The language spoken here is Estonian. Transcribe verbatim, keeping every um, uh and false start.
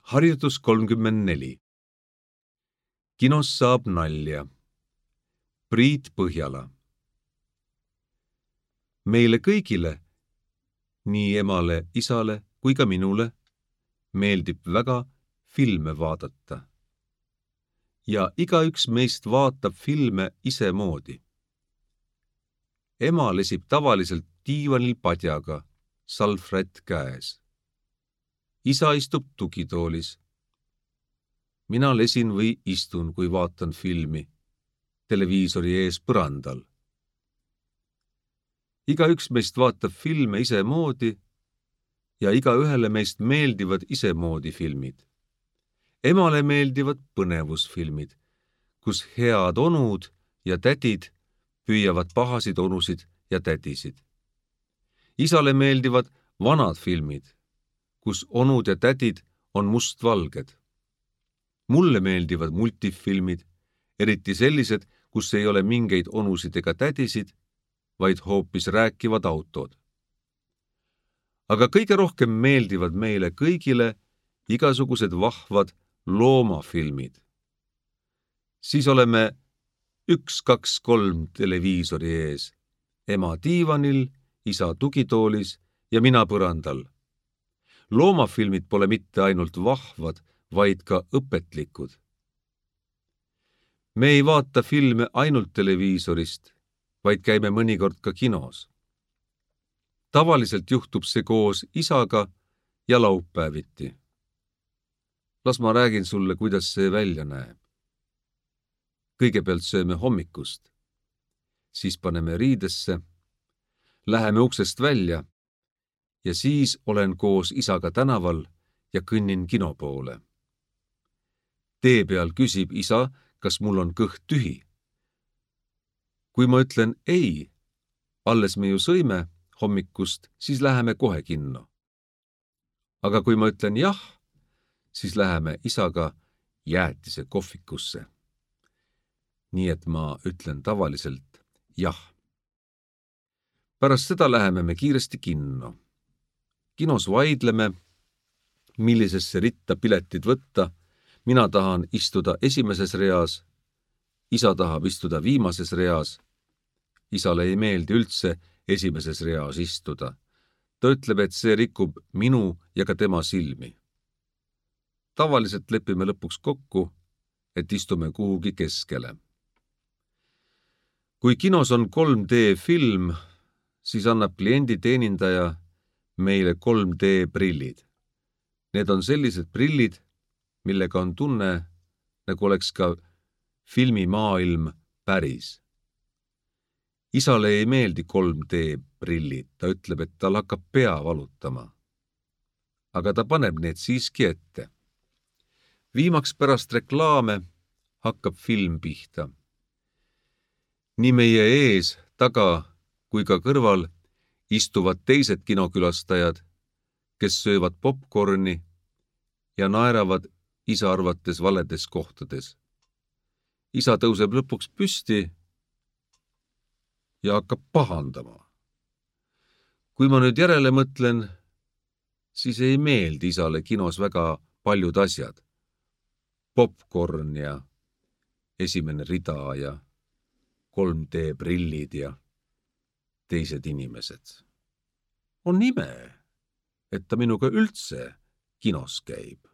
Harjutus kolmkümmend neli. Kinos saab nalja. Priit Põhjala. Meile kõigile, nii emale, isale kui ka minule, meeldib väga filme vaadata. Ja igaüks meist vaatab filme isemoodi. Ema lesib tavaliselt diivanil padjaga, salvrätt käes. Isa istub tugitoolis. Mina lesin või istun, kui vaatan filmi, televiisori ees põrandal. Igaüks meist vaatab filme isemoodi ja igaühele meist meeldivad isemoodi filmid. Emale meeldivad põnevusfilmid, kus head onud ja tädid püüavad pahasid onusid ja tädisid. Isale meeldivad vanad filmid, kus onud ja tädid on mustvalged. Mulle meeldivad multifilmid, eriti sellised, kus ei ole mingeid onusid ega tädisid, vaid hoopis rääkivad autod. Aga kõige rohkem meeldivad meile kõigile igasugused vahvad loomafilmid. Siis oleme üks, kaks, kolm televiisori ees, ema diivanil, isa tugitoolis ja mina põrandal. Loomafilmid pole mitte ainult vahvad, vaid ka õpetlikud. Me ei vaata filme ainult televiisorist, vaid käime mõnikord ka kinos. Tavaliselt juhtub see koos isaga ja laupäeviti. Las ma räägin sulle, kuidas see välja näeb. Kõigepealt sööme hommikust, siis paneme riidesse, läheme uksest välja ja siis olen koos isaga tänaval ja kõnnin kino poole. Tee peal küsib isa, kas mul on kõht tühi. Kui ma ütlen ei, alles me ju sõime hommikust, siis läheme kohe kinno. Aga kui ma ütlen jah, siis läheme isaga jäätise kohvikusse. Nii et ma ütlen tavaliselt jah. Pärast seda läheme me kiiresti kinno. Kinos vaidleme, millisesse ritta piletid võtta. Mina tahan istuda esimeses reas, isa tahab istuda viimases reas. Isale ei meeldi üldse esimeses reas istuda. Ta ütleb, et see rikub minu ja ka tema silmi. Tavaliselt lepime lõpuks kokku, et istume kuhugi keskele. Kui kinos on kolm D film, siis annab klienditeenindaja meile kolm D prillid. Need on sellised prillid, millega on tunne, nagu oleks ka filmimaailm päris. Isale ei meeldi kolm D prillid, ta ütleb, et tal hakkab pea valutama. Aga ta paneb need siiski ette. Viimaks pärast reklaame hakkab film pihta. Nii meie ees, taga kui ka kõrval istuvad teised kinokülastajad, kes söövad popcorni ja naeravad isa arvates valedes kohtades. Isa tõuseb lõpuks püsti ja hakkab pahandama. Kui ma nüüd järele mõtlen, siis ei meeldi isale kinos väga paljud asjad. Popcorn ja esimene rida ja kolm D prillid ja teised inimesed. On ime, et ta minuga üldse kinos käib.